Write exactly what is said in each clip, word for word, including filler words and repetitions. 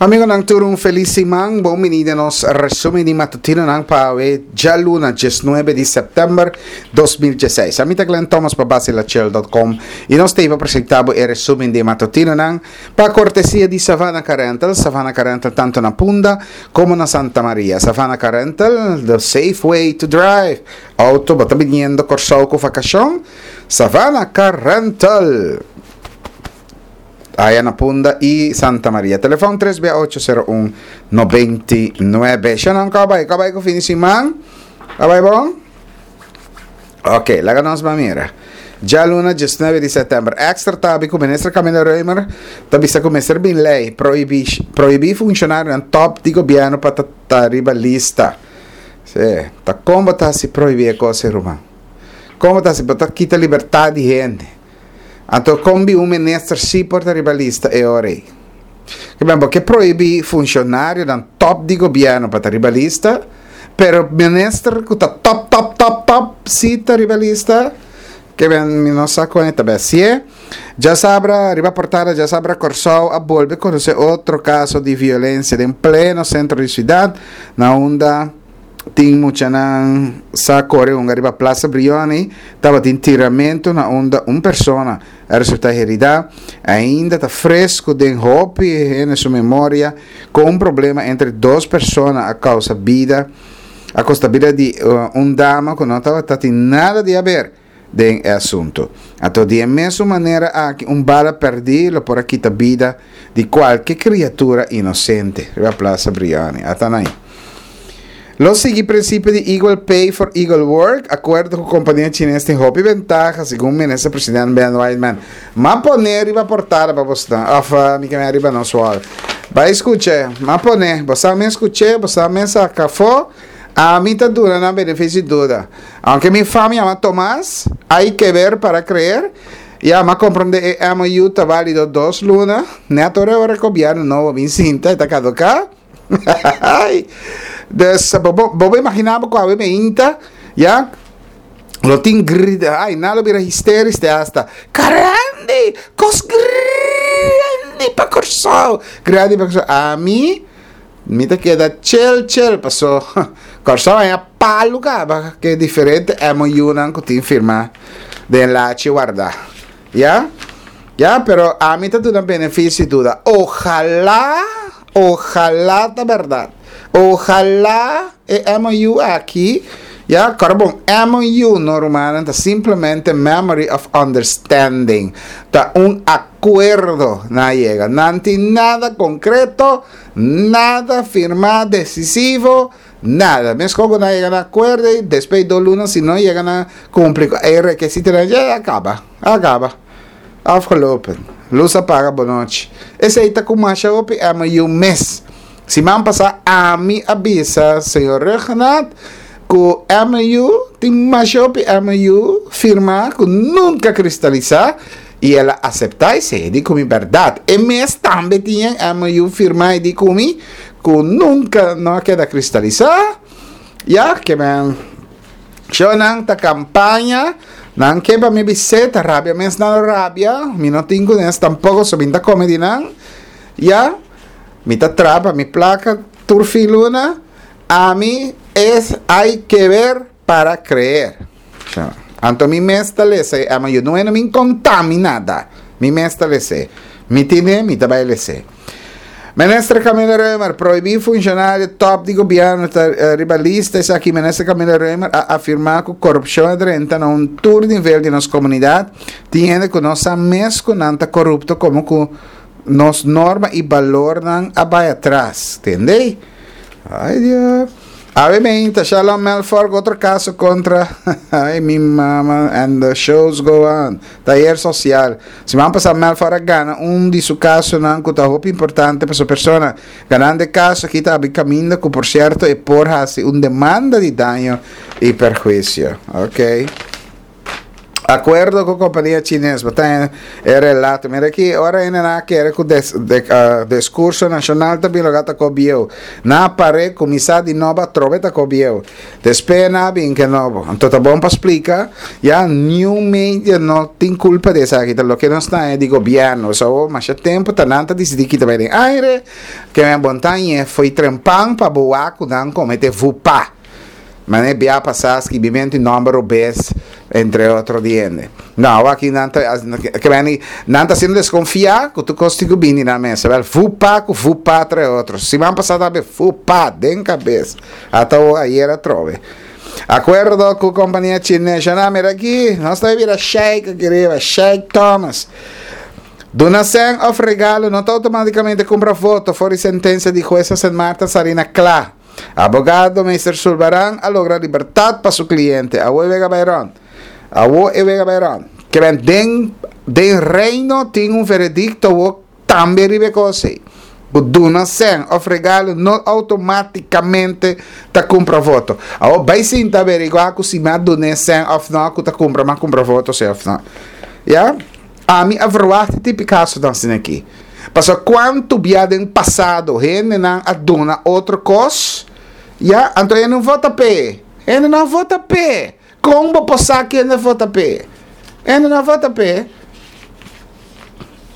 Amigonan, tur un felis siman. Bon bini na nos resumen di matutinonan pa djaluna, diesnuebe di sèptèmber dos mil diesseis. Ami ta Glenn Thomas pa basilachel punto com i nos ta presentá e resumen di matutinonan pa kortesia di Savannah Car Rental. Savannah Car Rental tantu na Punda komo na Santa Maria. Savannah Car Rental, the safe way to drive. Outo, bo ta biniendo Kòrsou ku vakashon? Savannah Car Rental. Aya na Punda i Santa Maria. Telefòn tres ocho sero un, noventa i nuebe. Shannon, kon a bai? Kon a bai ku fin di siman? A bai bon? Ok, laga nos ban mira. Djaluna, diesnuebe di sèptèmber. Extra ta habri ku minister Camilla Römer ta bisa ku mester bin lei prohibí prohibí funshonarionan top di gobièrnu pa ta riba lista. Si, ta kon ta si prohibí kos, ruman? Kon ta si ta kita libertat di hende? Anto kon bin un minister si por ta riba lista e ora ei? Ke ben, pasobra prohibí funshonarionan top di gobièrnu pa ta riba lista, pero minister ku ta top, top, top, top si ta riba lista, ke ben, mi no sa kon ta si. Djasabra, riba portada, djasabra Kòrsou a bolbe konosé otro kaso di violensia den pleno sentro di siudat, na unda tin muchanan sa kore un riba Plaza Brioni, tabatin tiramentu na unda un persona a resultá heridá. Ainda ta fresku den hopi na su memoria ku un problema entre dos persona a kousa bida, a kosta bida di uh, un dama ku no tabatin nada di haber den e asuntu. Anto, di mesun manera aki un bala pèrdí lo por a kita bida di kualke kriatura inosente. Riba Plaza Brioni. Ata ei. Lo sigui prinsipio di equal pay for equal work, akuerdo ku kompania chines tin hopi ventaha, segun minister presidente Ben Whiteman. M'a pone riba portada pa bo, òf mi ke riba nos wall. Bai skucha, m'a pone, bo mes skucha, bo mes saka afó, ami ta duna nan benefisio di duda. Aunke mi famia yama Tomás, hay que ver para creer. Ya, m'a komprondé e M O U ta válido dos luna. Net ora ora gobièrnu nobo bin sinta, ta kaduká. Dus, bo por imaginá ku awe mainta, ya, lo tin grita, ai, nan lo bira hysterisch te hasta. Grandi, kos grandi pa Kòrsou. Grandi pa Kòrsou. Ami, mi ta keda chill, chill, pasó. Kòrsou a palu kaba, ku diferente M O U nan ku tin firmá den lachi warda. Ya? Ya, pero ami ta duna benefisio di duda. Ohalá, ohalá ta berdat. Ohalá e M O U aki, ya, klaro bon, M O U normal ta simplemente Memory of Understanding. Ta un akuerdo nan a yega. No tin nada konkreto, nada firmá desisivo, nada. Meskos ku nan a yega na akuerdo i despues di dos luna, si no yega na kumpli e rekisito, ya a kaba, a kaba. Afgelopen. Lus a paga, bon nochi. Esei ta ku masha hopi M O U mes. Siman pasá ami a bisa señor Ruggenaath ku M O U tin masha hopi M O U firmá ku nunka a kristalisá i el a aseptá esei di ku mi berdat. E mes tambe tin M O U firmá di ku mi ku nunka no a keda kristalisá. Ya, ke men nan ta kampaña nan ke pa mi biseta rabia mes nan rabia mi no tin ku nes tampoko so mi ta kome di nan ya mi ta traha pa mi plaka tur fin luna. Ami es hay que ver para creer. Anto mi mes ta lesa e M O U, no no mi konta mi nada, mi mes ta lesa, mi tine mi ta bai lesa. Minister Camilla Römer, prohibí funshonario top di gobièrnu ta uh, riba lista. Esaki Minister Camilla Römer a afirmá ku korupshon a drenta na un tur nivel di nos komunidat. Tin hende ku no sa mes ku nan ta korupto, komo ku nos norma i balornan a bai atras. Entendé? Ai, Dios. Awe mainta, Shalom Melfor, otro kaso kontra. Ai, mi mama, and the shows go on. Tayer sosial. Siman pasá Melfor a gana un di su kasonan ku ta hopi importante pa su persona. Ganando e kaso aki ta kaminda ku, por sierto, e por hasi un demanda di daño i perhuisio. Ok. Akuerdo ku kompania chines, bo ta e relato. Mira aki, ora ainda nan kere ku des, de, uh, diskurso nashonal ta bin ta kos bieu. Nan a par'é kuminsá di nobo atrobe ta kos bieu. Despues nan a bin ku nobo. Anto ta bon pa splika, ya new media no tin kulpa di esaki, loke nos ta di gobièrnu. So, mas tempu ta nan ta disidí ku tambe den aire, ku mi montaña foi trempan pa boa ku nan komete vupa. Mas bia pasá skibimentu di nòmber robes, entre otro hende. No, aki nan ta, ke men nan ta siendo deskonfiá ku tur kos ku bini na mesa. Wel, vupa ku vupa entre otro. Siman pasá tambe vupa den kabes. Ata ayera atrobe. Akuerdo ku kompania chines. No, mira aki, nos ta bira Sheik aki riba, Sheik Thomas. Duna sèn òf regalo no ta outomátikamente kumpra voto, for di sentensia di hues Saint Martin sali na kla. Abogado Mister Sulvaran a logra libertat pa su kliente. Awo e wega Byron. Awo e wega Byron. Ke men den den reino tin un veredikto wo tambe riba e kos ei. Duna sèn òf regalo no outomátikamente ta kumpra voto. Awo bai sinta averiguá ku si m'a duna sèn òf no ku ta kumpra m'a kumpra voto si òf no. Ja? Ami a verwacht tipo kaso dan asina aki. Paso kuantu bia den pasado hendenan a duna otro kos, ya, anto hende no vota p'e. Hende no vota p'e. Kon bo por sa ku hende vota p'e? Hende no vota p'e.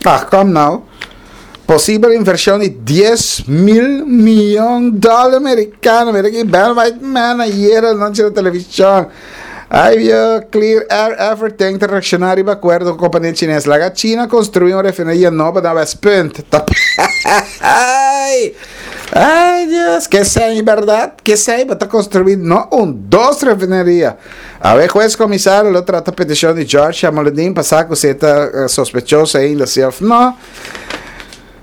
Ah, kom nou. Posibel invershon di dies mil mion dòler amerikano. Mira ku Ben White Man ayera anochi na televishon. Ai, vio, Clear Air Everything ta reakshoná riba akuerdo ku kompania chines. Laga China konstruí un refineria nobo na Westpunt. Ai, ai, Dios, ke sei, berdat? Ke sei, ta konstruí no un, dos refineria. Awe hues komisario lo trata petishon di George Jamaloodin pa sa ku si e ta sospechoso ainda, si òf no.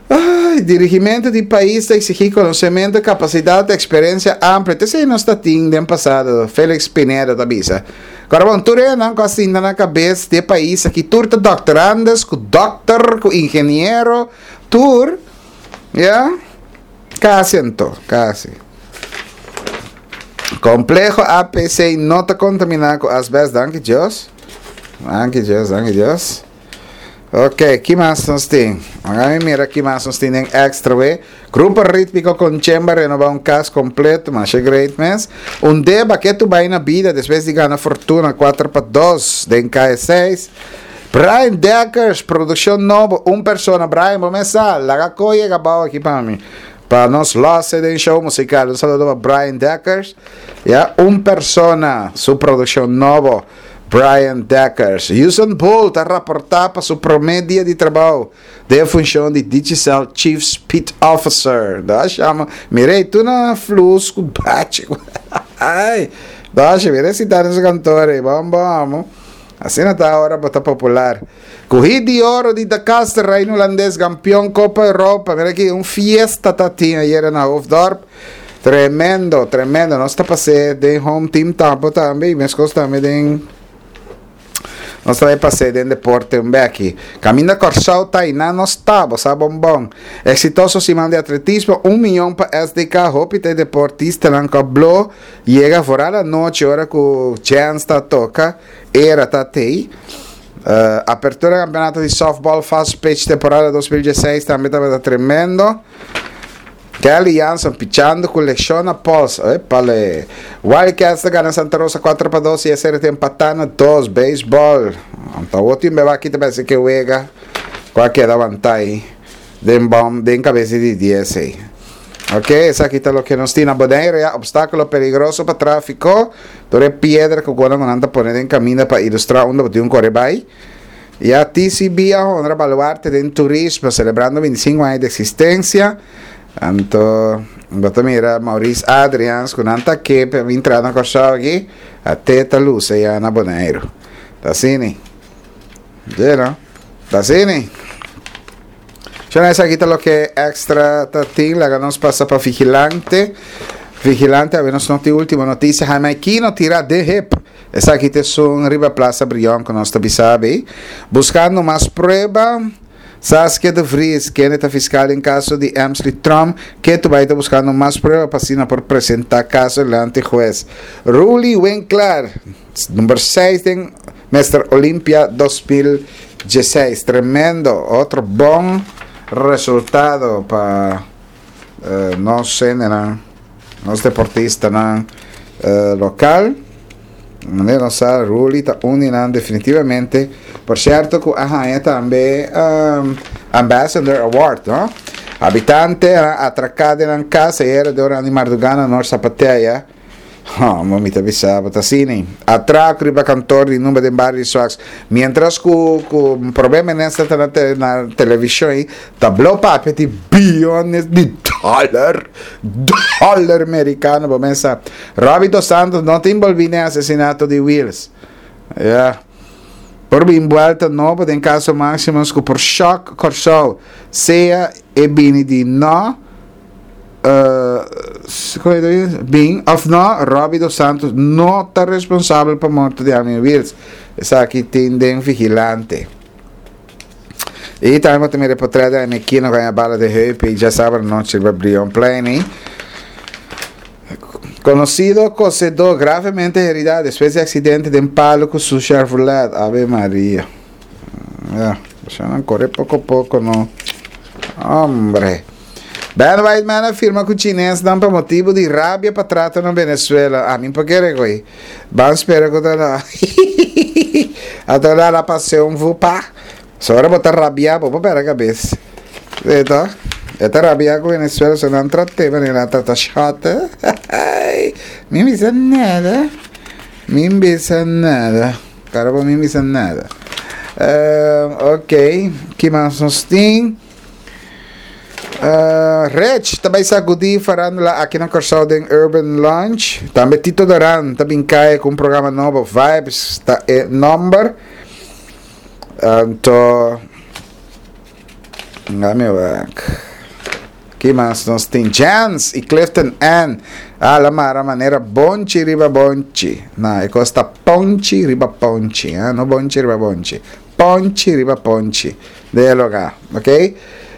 Ai, dirigimentu di pais ta eksigí konosementu, kapasidat, eksperensia amplio. Esei nos tabatin den pasado. Felix Pineda ta bisa. Awor, bon, tur nan asina na kabes di pais aki, tur ta doctorandes, ku dokter, ku ingeniero, tur, ya? Kasi anto, kasi. Kompleho A P C no ta kontaminá ku asbest, danki Dios. Danki Dios, danki Dios. Ok, ki mas nos tin? Awor mira ki mas nos tin Extra, we. Grupo Rítmiko Konchemba a renobá un kas kompleto, mas great mes. Un deba ku tu bai na bida despues di gana Fortuna kuater pa dos den K seis. Brian Dekkers, produkshon nobo, un persona. Brian, ban kuminsá. Laga kos kaba aki pa mi. Pa nos los den show musikal. Un saludo pa Brian Dekkers. Ja, un persona, su produkshon nobo. Brian Dekkers. Usain Bolt a raportá pa su promé dia di trabou den funshon di Digicel Chief Speed Officer. Da chama. Mira, tur na flus ku bate. Ai, da mira si ta nesse kantor ei. Bam, bam. Asina ta ora ta popular. Ku hit di oro di Da Caster, Reino Hulandes, kampeon Kopa Europa. Mira aki, un fiesta tatin ayera na Hoofddorp. Tremendo, tremendo. Nos ta pasando den home team tambe tambe, mes tambe den nos tambe pasando den deporte un beki. Kaminda Kòrsou ta i nos ta, sa bonbon. Eksitoso siman di atletismo, un mion pa S D K, hopi te deportistanan ku blo yega fora anochi ora ku chance ta toka, era ta tei. Uh, apertura kampeonato di softball fast pitch temporada dos mil diesseis tambe tabata tremendo. Kelly Jansen pichando ku leshon na pols. Epale. Wildcats ta gana Santa Rosa kuater pa dos i S R T empatá na dos. Baseball. Anto, otro team aki tambe ku wega. Kual keda wantá Den bom, den kabes di dies ei. Ok, esaki ta loke nos tin na Bonaire, ya, opstákulo peligroso pa tráfiko. Tur piedra ku nan ta pone den kaminda pa ilustrá unda tin un kore bai. I a T C B a honra baluarte di turismo, selebrando bintisinku aña di eksistensia. Anto, bo ta mira Maurice Adrians, ku nan ta aki, pa entra na Kòrsou aki, te ta lusa ya na Bonaire. Ta asina? No? Ta asina? Ya esaki ta loke Extra ta tin, laga nos pasa pa Vigilante. Vigilante, awe nos no tin último notisia, Jaime Aquino tira den hep. Esaki ta un riba Plaza Brion ku nos ta sabi. Buskando mas prueba. Saskia de Vries, ku ta fiskal den kaso di Emsley Trump, ku ta bai buskando mas prueba pa asina por presentá kaso dilanti hues. Roelie Winkler, number seis den Mister Olympia dos mil diesseis. Tremendo, otro bon resultado pa uh, nos, nos deportistanan uh, local. Manera nos sa, Ruli ta un definitivamente. Por cierto, cu a haña tambe um, Ambassador Award, no? Habitante atraca den cas ayera den ora di marduga na Noord Sapateia. Oh, mi ta bisa, ta asina. Atraco riba kantoor di number den bario Souax. Mientras cu cu problema nesta na, te, na television, ta blo papia di billones di dollar, dollar americano, bo pensa. Robbie Dos Santos no ta envolvi den asesinato di Wills. Yeah. Por bin vuelta nobo den caso Maximus cu por shock Corsou. Sea e bini di no uh, bin of no, Robbie Dos Santos no ta responsabel pa morto di Armin Wills. Esaki tin den Vigilante. Y tambe tin reportahe di Anekino cu a bala di heup y diasabra anochi riba Brionplein. Conocido cosedor gravemente herida despues di accidente di palo cu su Chevrolet. Ave Maria. Ja, no core poco poco, no. Hombre. Ben Whiteman a firma cu Chinesnan pa motibo di rabia pa trato na Venezuela. Ah, mi por kere goy. Ban spera cu ta. Ata la pasión vupa. Sobre bo ta rabia, bo perde cabes. Eta, eta rabia cu Venezuela, se nan trate, manera trata shot. Mi bisa nada. Mi bisa nada. Cara, mi bisa nada. Uh, ok, ki mas nos tin? Uh, Rech tambe sagudi farandula aki na Corsou den Urban Lounge. Tambe Tito Doran tambe cay cu un programa nobo, Vibes, ta e number. Anto, laga wak. Ki mas nos tin? Jans y Clifton N. Ah, la mara manera bonchi riba bonchi. Na, e costa ponchi riba ponchi, eh? No bonchi riba bonchi. Ponchi riba ponchi. Dialoga, ok?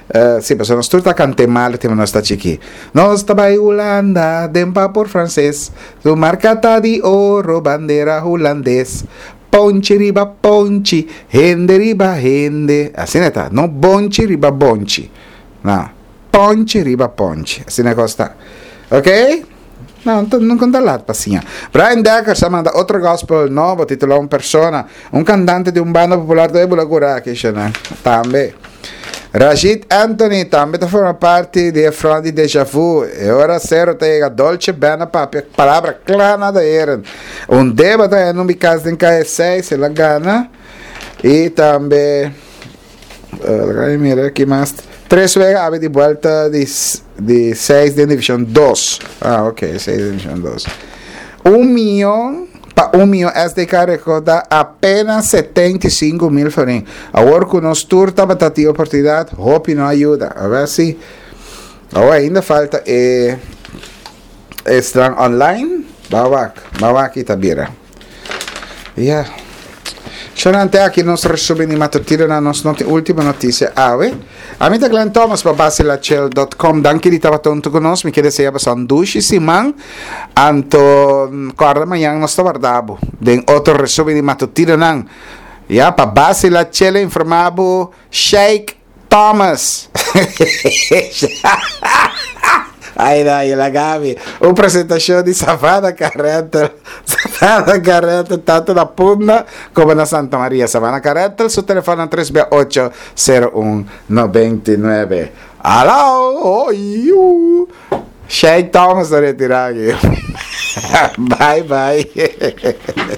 Uh, si, pero nos tur ta canta mal, tin nos ta chiki. Nos ta bay Hulanda, den por frances. Su marca ta di oro, bandera hulandes. Ponchi riba ponchi, hende riba hende. Asina ta, no bonchi riba bonchi. No, ponchi riba ponchi. Asina costa. Ok? No, no conta laat pasinha. Brian Dekker a manda otro gospel nobo, titula Un Persona. Un cantante di un banda popular di Bulacura, cu yama. Tambe. Rashid Anthony tambe ta forma parti di front di Deja Vu. E ora cero ta Dolce Bena papia. Palabra clara da eren. Un debate en un cas den K seis, el a gana. Y tambe, Uh, mira, aki mas. Tres wega awe di vuelta di, di seis di Division dos. Ah, ok, seis di Division dos. Un miyon pa un miyon S D K recorda apenas setenta y cinco mil florin. Awor cu nos tur tabata tin oportunidad, hopi no a yuda. A ber si. Awor ainda falta e esta online. Bawak, bawak itabira. Yeah. Xanante aki nos resumen di matutino na nos noti ultimo noticia awe. Ami ta Glenn Thomas pa basilachel punto com. Danki di tabata hunto cu nos. Mi kier desea boso un dushi siman. Anto corda, mañan nos ta warda bo den otro resumen di matutino nan. Ya pa Basilachel informa bo Sheikh Thomas. Ai, ai, la Gabi. Un presentacion di Savana Carreta. Savana Carreta, tanto na Punda como na Santa Maria. Savana Carreta, su telefon tres ocho cero uno noventa y nuebe. Aló, oi, uh. Sheikh Thomas a retira aki. Bye, bye.